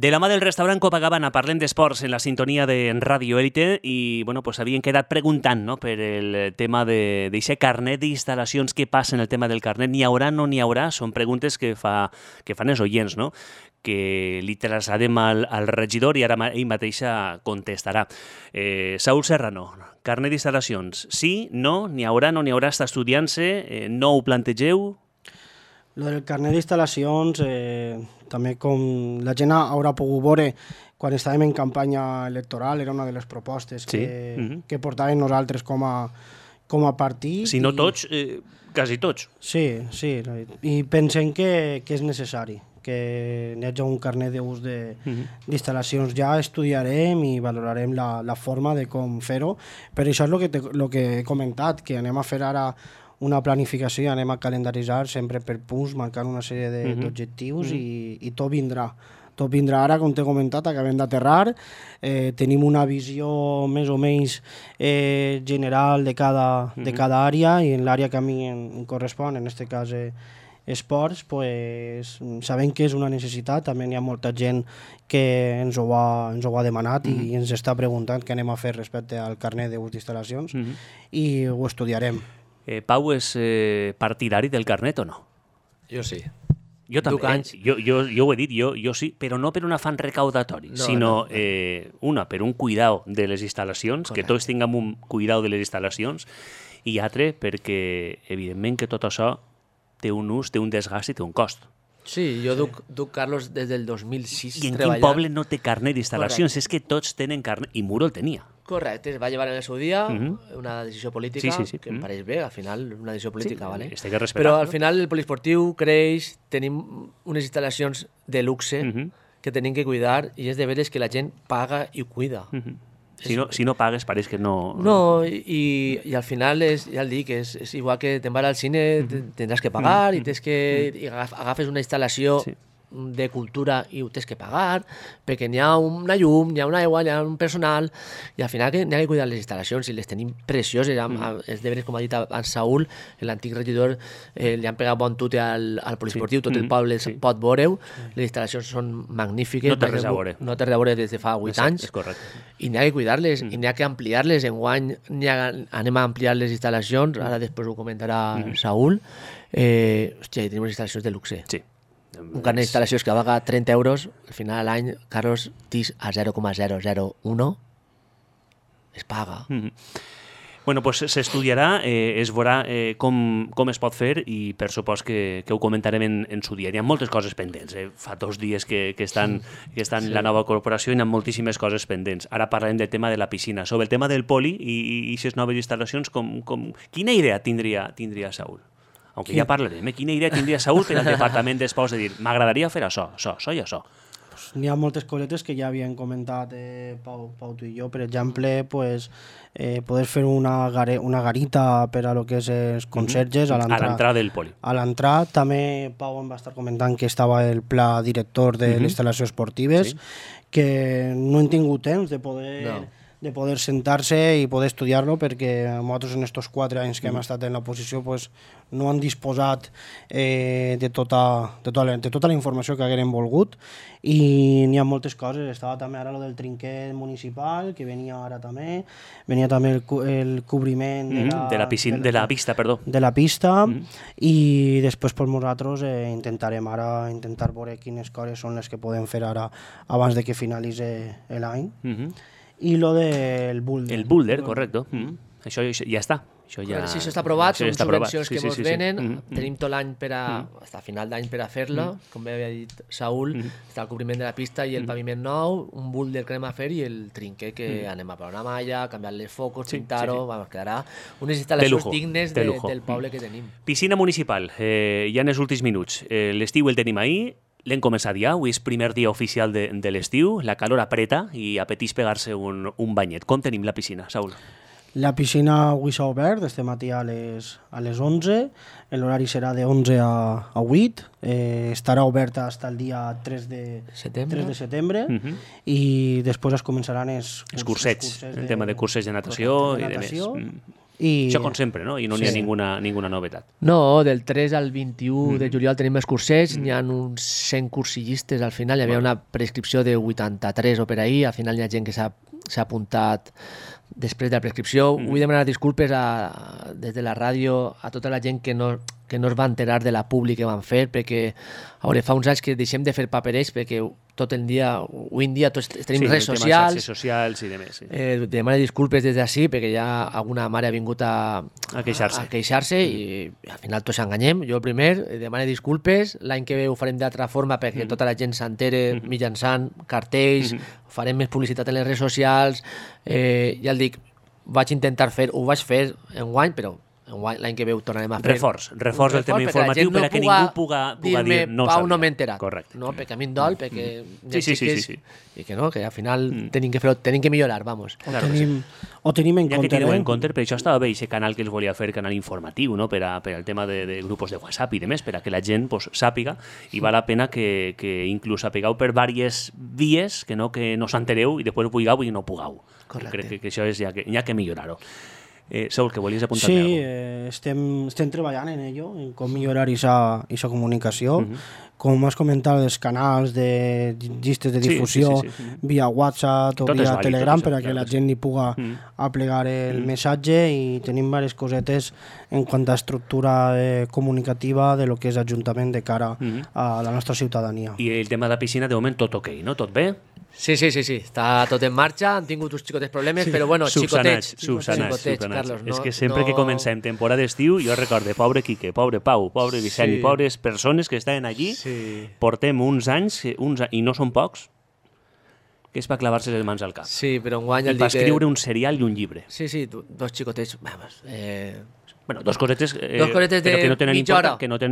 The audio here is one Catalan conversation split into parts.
De la mà del restaurant Copacabana parlem d'esports en la sintonia de Radio Élite i bueno, pues havien quedat preguntant, no?, per el tema d'aquest carnet d'instal·lacions. Què passa en el tema del carnet? N'hi haurà, no n'hi haurà? Són preguntes que fan els oients, no?, que li traslladem al regidor i ara ell mateixa contestarà. Saúl Serrano, carnet d'instal·lacions, sí, no, n'hi haurà, no n'hi haurà, està estudiant-se, no ho plantegeu? Lo del carnet d'instal·lacions, també com la gent haurà pogut veure quan estàvem en campanya electoral, era una de les propostes que portàvem nosaltres com a partit. Si no tots, quasi tots. Sí, i pensem que és necessari que hi hagi un carnet d'ús d'instal·lacions. Ja estudiarem i valorarem la forma de com fer-ho, però això és el que he comentat, que anem a fer ara una planificació i anem a calendaritzar sempre per punts, marcant una sèrie d'objectius i tot vindrà. Tot vindrà ara, com t'he comentat, acabem d'aterrar, tenim una visió més o menys general de cada àrea i en l'àrea que a mi em correspon, en aquest cas esports, pues, sabem que és una necessitat. També hi ha molta gent que ens ho ha demanat i ens està preguntant què anem a fer respecte al carnet d'ús d'instal·lacions i ho estudiarem. Pau és partidari del carnet o no? Jo sí. Jo també. Jo ho he dit, jo sí, però no per un afany recaudatori, sinó per un cuidado de les instal·lacions, que tots tinguem un cuidado de les instal·lacions, i altre perquè, evidentment, que tot això té un ús, té un desgast i té un cost. Sí, jo duc Carlos des del 2006 I en treballant. quin poble no té carnet d'instal·lacions? És que tots tenen carnet, i Muro el tenia. Correcte, es va llevar en el seu dia una decisió política, que em pareix bé, al final una decisió política, sí, ¿vale? Però al final el poliesportiu creix, tenim unes instal·lacions de luxe que tenim que cuidar i és de veres que la gent paga i cuida. Si no pagues pareix que no... No, i al final ja el dic, és igual que te'n vas al cine, tindràs que pagar i agafes una instal·lació de cultura i ho tens que pagar, perquè n'hi ha una llum, n'hi ha una aigua, n'hi ha un personal, i al final n'hi ha que cuidar les instal·lacions i les tenim precioses. Els deures, com ha dit en Saúl, l'antic regidor, li han pegat bon tute al poliesportiu, tot el poble pot veure-ho, les instal·lacions són magnífiques. No té res a veure. No té res a veure des de fa 8 anys. És correcte. I n'hi ha que cuidar-les, i n'hi ha que ampliar-les. Enguany anem a ampliar les instal·lacions, ara després ho comentarà Saúl. Hòstia, tenim unes instal·lacions de luxe. Sí. Un carnet d'instal·lacions que vaga 30 euros, al final de l'any, Carlos, tis a 0,001, es paga. Bueno, pues s'estudiarà, es veurà com es pot fer i per supost que ho comentarem en su dia. Hi ha moltes coses pendents. Fa 2 dies que estan en la nova corporació i hi ha moltíssimes coses pendents. Ara parlarem del tema de la piscina. Sobre el tema del poli i aquestes noves instal·lacions, quina idea tindria Saúl? Aunque ja parlarem, quina idea tindria Saúl per al Departament d'Esports de dir m'agradaria fer això i això? N'hi ha moltes cosetes que ja havien comentat Pau, tu i jo. Per exemple, poder fer una garita per a lo que és els conserges a l'entrada del poli. A l'entrada. També Pau em va estar comentant que estava el pla director de les instal·lacions esportives, que no hem tingut temps de poder sentar-se i poder estudiar-lo, perquè nosaltres en aquests 4 anys que hem estat en l'oposició no han disposat de tota la informació que haguérem volgut, i n'hi ha moltes coses. Estava també ara el del trinquet municipal, que venia ara també, venia també el cobriment de la pista, de la pista, i després nosaltres intentarem ara veure quines coses són les que podem fer ara abans de que finalitzi l'any. I lo del boulder. El boulder, correcte. Això ja està. Sí, això està aprovat, són subvencions que ens venen. Tenim tot l'any fins a final d'any per a fer-la. Com bé havia dit Saúl, està el cobriment de la pista i el paviment nou, un boulder que anem a fer i el trinquet que anem a posar una malla, canviar les focos, pintar-ho, quedarà unes instal·lacions dignes del poble que tenim. Piscina municipal, ja en els últims minuts. L'estiu el tenim ahir. L'hem començat ja, avui és primer dia oficial de l'estiu, la calor apreta i apeteix pegar-se un banyet. Com tenim la piscina, Saúl? La piscina avui s'ha obert, este matí a les 11, l'horari serà de 11 a 8, estarà oberta fins al dia 3 de setembre, i després es començaran els cursets, el tema de curses de natació i de més. Això com sempre, no? I no n'hi ha ninguna novetat. No, del 3 al 21 de juliol tenim els cursets, n'hi ha uns 100 cursillistes al final, hi havia una prescripció de 83 o per ahir, al final hi ha gent que s'ha apuntat després de la prescripció. Vull demanar disculpes des de la ràdio a tota la gent que no es va enterar de la publi que van fer, perquè fa uns anys que deixem de fer paperets, perquè tot el dia, avui en dia tots tenim redes socials. Xarxes socials i demés. Sí. Demano disculpes des d'ací, perquè ja alguna mare ha vingut a queixar-se i al final tots enganyem. Jo primer demano disculpes, l'any que ve ho farem d'altra forma perquè tota la gent s'entere mitjançant cartells, farem més publicitat en les redes socials, ja el dic, vaig intentar fer, ho vaig fer enguany, però l'any que ve ho tornarem a fer. Reforç del tema informatiu per a que ningú puga dir no Pau, no m'he enterat. Correcte. No, perquè a mi em dol, perquè sí. I que no, que al final tenim que millorar, vamos. Ho tenim en compte. Ja que teniu en compte, per això estava bé aquest canal que els volia fer, canal informatiu, no? per al tema de grups de WhatsApp i demés, per a que la gent sàpiga, i val la pena que inclús sapigueu per diverses vies, que no s'entereu i després vulgueu i no pugueu. Correcte. Crec que això és ja que millorar-ho. Saúl, que volies apuntar-me alguna cosa? Sí, estem treballant en ello, en com millorar aquesta comunicació. Com has comentat, els canals de llistes de difusió via WhatsApp o via Telegram per a que la gent hi puga aplegar el missatge, i tenim diverses cosetes en quant a estructura comunicativa de lo que és Ajuntament de cara a la nostra ciutadania. I el tema de la piscina, de moment, tot ok, no? Tot bé? Sí, està tot en marxa, han tingut uns xicotes problemes, però bueno, xicotets, Carlos. És que sempre que comencem temporada d'estiu, jo recorde, pobre Quique, pobre Pau, pobre Vicent i pobres persones que estaven allí, portem uns anys, i no són pocs, que és per clavar-se les mans al cap. Sí, però enguany... I per escriure un serial i un llibre. Sí, dos xicotets, vamos... Bueno, dos cosetes però que no tenen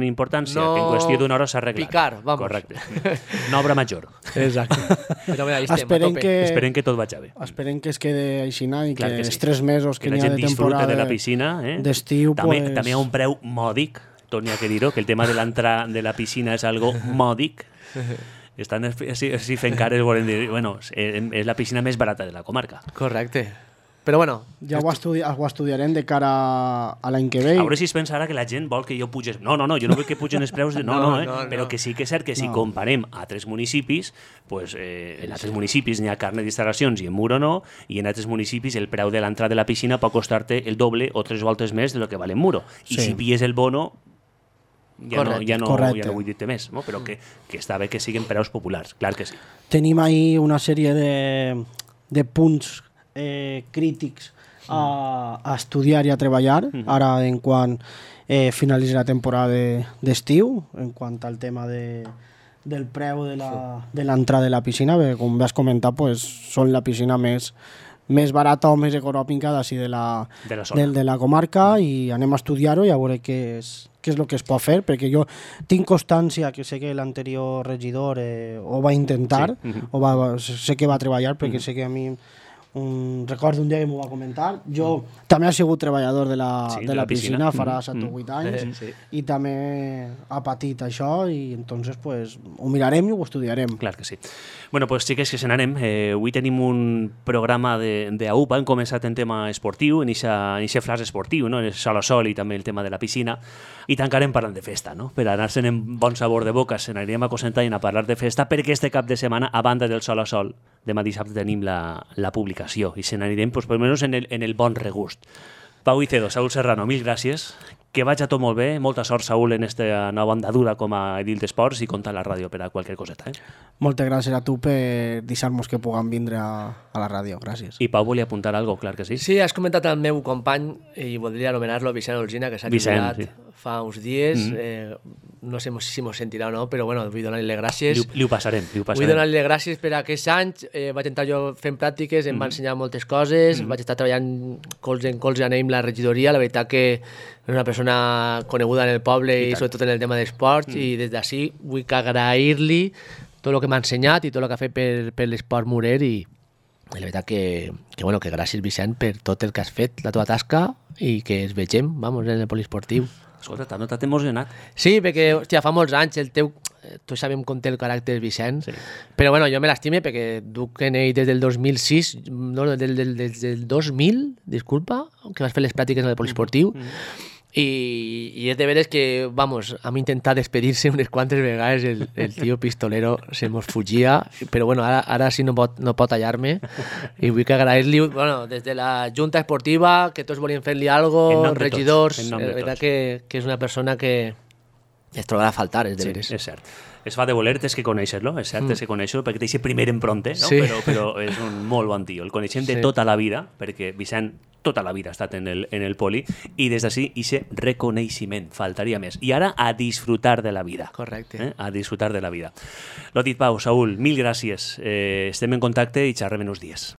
importància, que en qüestió d'una hora s'arreglen. Picar, vamos. Correcte. Una obra major. Exacte. Però mira, esperem que tot vagi bé. Esperem que es quede aixina i que els 3 mesos que n'hi ha de temporada... Que la gent disfrute de la piscina. D'estiu, també hi ha un preu mòdic, torni a dir-ho, que el tema de l'entrada de la piscina és algo mòdic. Estan així fent cares, volen dir, bueno, és la piscina més barata de la comarca. Correcte. Però bueno... Ja ho estudiarem de cara a l'any que ve. A veure si es pensarà que la gent vol que jo pugés... No, jo no vull que pugen els preus... Però que sí que és cert que si comparem a altres municipis, en altres municipis n'hi ha carnet d'instal·lacions i en Muro no, i en altres municipis el preu de l'entrada de la piscina pot costar-te el doble o 3 voltes més de lo que val en Muro. I si pilles el bono... Ja no vull dir-te més, no? Però que està bé que siguin preus populars, clar que sí. Tenim ahí una sèrie de punts crítics a estudiar i a treballar ara en quan finalitzi la temporada d'estiu, en quant al tema del preu de l'entrada de la piscina, perquè com vas comentar són la piscina més barata o més econòmica d'ací de la comarca, i anem a estudiar-ho i a veure què és el que es pot fer, perquè jo tinc constància que sé que l'anterior regidor ho va intentar, sé que va treballar, perquè sé que a mi recordo un dia que m'ho va comentar. Jo també he sigut treballador de la piscina, farà 7 o 8 anys, i també ha patit això, i entonces ho mirarem i ho estudiarem. Clar que sí. Bueno, pues sí que és que se n'anem. Avui tenim un programa d'AUPA, hem començat en tema esportiu, en aquest flash esportiu, no? El sol a sol i també el tema de la piscina, i tancarem parlant de festa, no? Per anar-se'n en bon sabor de boca, se n'anirem a concentrar a parlar de festa, perquè este cap de setmana, a banda del sol a sol, demà dissabte tenim la publicació, i se n'anirem, per almenys en el bon regust. Pau Icedo, Saúl Serrano, mil gràcies. Que vagi tot molt bé. Molta sort, Saúl, en aquesta nova andadura com a edil d'esports, i compta a la ràdio per a qualsevol coseta. Moltes gràcies a tu per deixar-nos que puguem vindre a la ràdio. Gràcies. I Pau volia apuntar alguna cosa, clar que sí. Sí, has comentat el meu company, i voldria anomenar-lo Vicent Olgina, que s'ha jubilat fa uns dies. No sé si mos sentirà o no, però bueno, vull donar-li les gràcies. Li ho passarem. Vull donar-li les gràcies per aquests anys. Vaig entrar jo fent pràctiques, em va ensenyar moltes coses, vaig estar treballant colze en colze amb la regidoria. La veritat que és una persona coneguda en el poble i sobretot en el tema d'esports, i des d'ací vull agrair-li tot el que m'ha ensenyat i tot el que ha fet per l'esport murer, i la veritat que gràcies, Vicent, per tot el que has fet, la teva tasca, i que ens vegem, en el poliesportiu. Escolta, t'ha notat emocionat. Sí, perquè, hòstia, fa molts anys el teu tots sabem com té el caràcter Vicent, però bueno, jo me l'estime perquè duc en ell des del 2006, no, des del 2000, disculpa, que vas fer les pràctiques en el poliesportiu, i és de veres que, vamos, hem intentat despedir-se unes quantes vegades, el tio pistolero se mos fugia, però bueno, ara sí no pot tallar-me, i vull que agrair-li, bueno, des de la Junta Esportiva, que tots volien fer-li alguna cosa, regidors, la veritat que és una persona que es trobarà a faltar, és de veres. Sí, és cert. Es fa de voler, tens que conèixer-lo, és cert, tens que conèixer-lo, perquè té aquest primer empronte, no? Sí. Però és un molt bon tio. El coneixem de tota la vida, perquè Vicent tota la vida ha estat en el poli, i des d'ací, aquest reconeixement, faltaria més. I ara, a disfrutar de la vida. Correcte. A disfrutar de la vida. Lo dit, Pau, Saúl, mil gràcies. Estem en contacte i xerrem en uns dies.